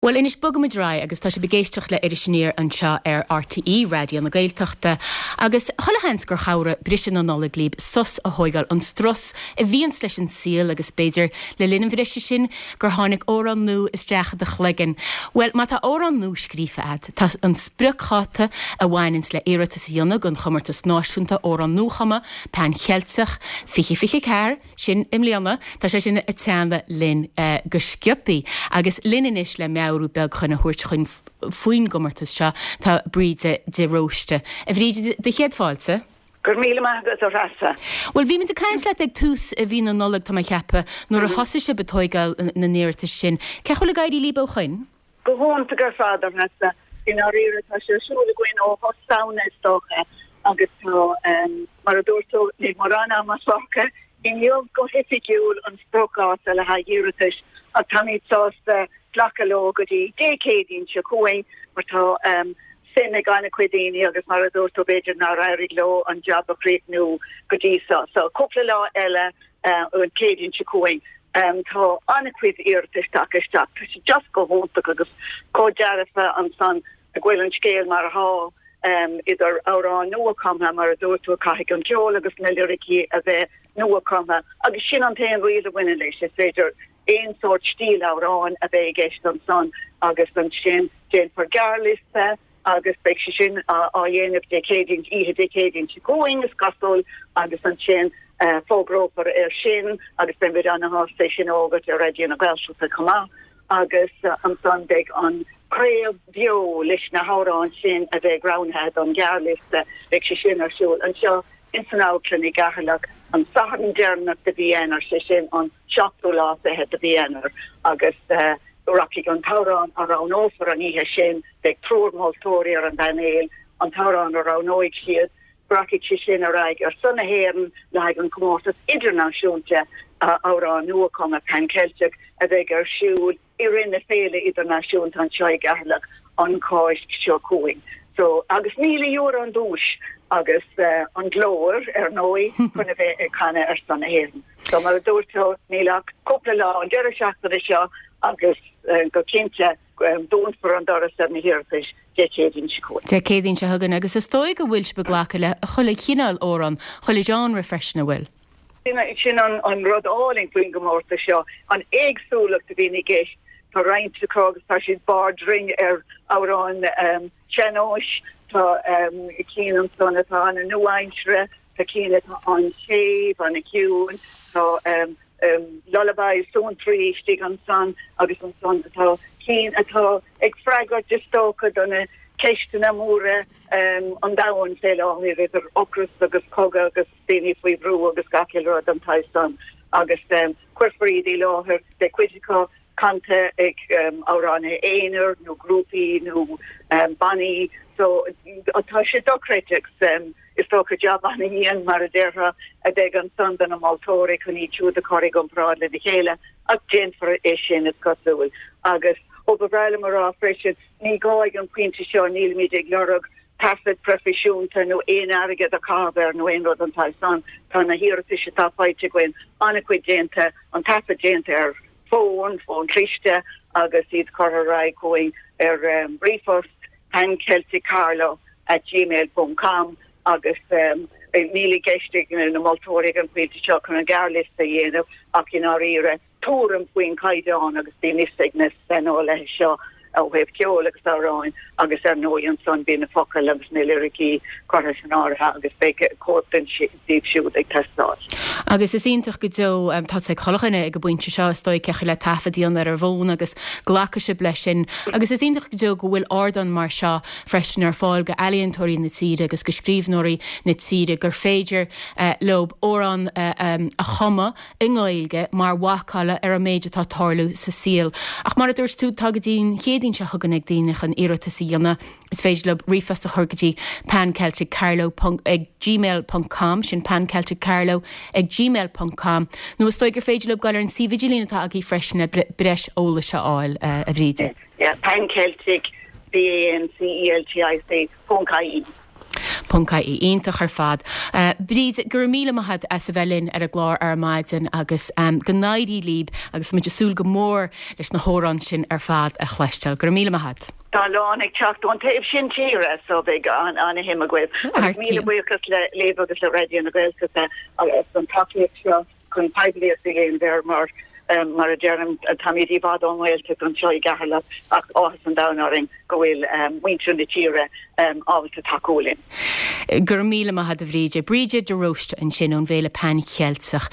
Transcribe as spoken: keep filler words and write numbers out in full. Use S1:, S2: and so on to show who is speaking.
S1: Bhuel anois bogaimid ar aghaidh agus tá sibh ag éisteacht le Iris Aniar anseo ar RTÉ Raidió na Gaeltachta. Agus chuile sheans gur chabhraigh briseadh na Nollag libh sos a thógáil ón strus a bhíonns leis an saol agus b'fhéidir le linn an bhriseadh sin gur tháinig amhrán nua isteach i do chloigeann. Bhuel má tá amhrán nua scríofa agat, tá an spriocdháta a bhaineanns le iarratas a dhéanamh don chomórtas náisiúnta amhrán nuachumtha Pan Cheilteach fiche fiche ceathair sin i mbliana, tá sé sin ag teannadh linn uh, go sciobtha agus linn anois le meabhrú beag chun a thabhairt chun faoin gcomórtas seo tá Bríde de Róiste. A Bhríde de chéad fáilte?
S2: Gur míle maith agat a Threasa.
S1: Well bhí muid ag caint leat ag tús i mhí na Nollag tá mé ag ceapadh nuair a mhm. thosaigh sibh ag tógáil na n-iarratas sin. Cén chaoi bhfuil ag éirí libh ó shin?
S2: Go hiontach ar fad a Threasa i ndáiríre tá sé ar siúl againn ó thús Samhna is dócha agus tá um, mar a dúirt tú níl mórán ama fágtha inniu go hoifigiúil an spriocdháta le haghaidh iarratais ach táimid sásta glacadh leo go dtí Dé Céadaoin seo chugainn mar tá um, suim ag an-chuid daoine agus mar a dúirt tú b'fhéidir nár éirigh leo an jab a chríochnú go dtí seo. So cúpla lá eile uh, an Céadaoin seo chugainn. Um, tá an-chuid iarratais tagtha isteach Tá sé just go hiontach agus chomh dearfa ansan go bhfuil an scéal mar atá um, idir amhrán nuachumtha mar a dúirt tú caithfidh an ceol agus na liricí a bheith nuachumtha agus sin an t-aon riail a bhaineann leis is féidir aon sórt stíl amhráin a bheith i gceist ansan agus ansin déanfar gearrliosta agus beidh sé sin á dhéanamh Dé Céadaoin oíche Dé Céadaoin seo chugainn is cosúil agus ansin uh, fógrófar é sin agus beimid an-sásta sin a fhógairt ar Raidió na Gaeltachta chomh maith agus uh, ansan beidh an craoladh beo leis na hamhráin sin a bheidh roghnaithe don ghearrliosta beidh sé sin ar siúl anseo in san amharclann i gCeatharlach an Satharn deireanach de mhí Eanáir sé sin an seachtú lá fichead de mhí Eanáir agus uh, rachaidh an t-amhrán a roghnófar an oíche sin beidh triúr moltóirí ar an bpainéal an t-amhrán a roghnóidh siad rachaidh sé sin ar aghaidh ar son na hÉireann le haghaidh an comórtas idirnáisiúnta amhrán nuachumtha Pan Ceilteach a bheidh ar siúl i rith na féile idirnáisiúnta anseo i gCeatharlach an Cháisc seo chugainn. So agus míle euro an duais agus uh, an glór ar ndóigh chun a bheith ag canadh ar son na hÉireann. So mar a dúirt tú níl ach cúpla lá an deireadh seachtaine seo agus uh, go cinnte um, dúnfar an doras ar na hiarratais Dé Céadaoin seo chugainn.
S1: Dé Céadaoin seo chugainn agus is dóigh go bhfuil sibh ag glacadh le chuile chineál amhrán chuile genre freisin an bhfuil.
S2: Sin an, an rud álainn faoin gcomórtas seo an éagsúlacht a bhíonn i gceist tá roinnt acu agus tá siad barr droim ar amhráin um, sean-nóis tá um, cinn ansan atá an-nua-aimseartha tá cinn atá an-séimh an-chiúin tá um, um, lullaby suantraí istigh ansan agus ansan atá cinn atá ag freagairt is dócha do na ceisteanna móra um, an domhain fé láthair idir ocras agus cogadh agus daoine faoi bhrú agus gach rud den tsaghas san agus um, cuirfear iad i láthair de cuid acu canta ag um, amhránaithe aonair nó grúpaí nó um, bannaí so tá sé dochreidte um, is dócha jab an-dian mar a déarfá a bheidh ansan do na moltóirí chun iad siúd a chur i gcomparáid le chéile ach déanfar é sin is cosúil agus ó ba bhreá liom a rá freisin ní gá ag an bpointe seo nílimid ag lorg taifead proifisiúnta nó aon airgead a chaitheamh nó aon rud den tsaghas san tá na hiarratais atá faighte againn an-chuid déanta an taifead déanta ar fón fón cliste agus iad curtha ar aghaidh chugainn ar um, ríomhphost pancelticcarlow at gmail.com agus um, níl i gceist ag na moltóirí an pointe seo chun an gearrliosta a dhéanamh ach i ndáiríre tuairim faoin caighdeán agus bíonn fhios ag na saineolaithe seo ó thaobh ceol agus amhráin agus ar ndóigh ansan bíonn na focail agus na liricí curtha san áireamh agus beidh cóip den díobh siúd ag teastáil.
S1: Agus is iontach go deo um, tá ag chuile dhuine ag an bpointe seo is dóigh le taifead a dhéanamh ar an bhfón agus glacfaidh sibh leis sin. Agus is iontach go deo go bhfuil ardán mar seo freisin ar fáil go ealaíontóirí na tíre agus go scríbhneoirí na tíre gur féidir uh, leo amhrán uh, um, a chumadh i nGaeilge mar mhacalla ar an méid atá ag tarlú sa saol. Ach mar a dúirt tú tá go dtí an Chéadaoin seo chugainn ag daoine chun iarratas a dhéanamh is féidir leo ríomhphost a chur go dtí pancelticcarlow ag gmail.com sin pancelticcarlow ag gmail.com nó is dóigh gur féidir leo dul ar an suíomh idirlín atá agaibh freisin le breis eolais a fháil uh, a Bhríde.
S2: Yeah, panceltic B A N C E L T I C ponc I E.
S1: Ponc ie. Iontach ar fad. Bríd, go raibh míle maith agat as a bheith linn ar an gclár ar maidin agus go n-éirí libh agus muid ag súil go mór leis na hamhráin sin ar fad a chloisteáil. Go raibh míle maith agat.
S2: Tá a lán ag teacht ón taobh sin tíre so beidh an-shuim agaibh. Agus míle buíochas le libh agus le Raidió na Gaeltachta agus an tacaíocht seo chun poiblíocht a dhéanamh air mar mar a deirim táimid i bhfad ón nGaeltacht anseo i gCeatharlach ach áthas an domhain orainn go bhfuil muintir na tíre ábalta tacú linn.
S1: Go raibh míle maith agat a Bhríde. Bríde de Róiste ansin ón bhFéile Pan Cheilteach.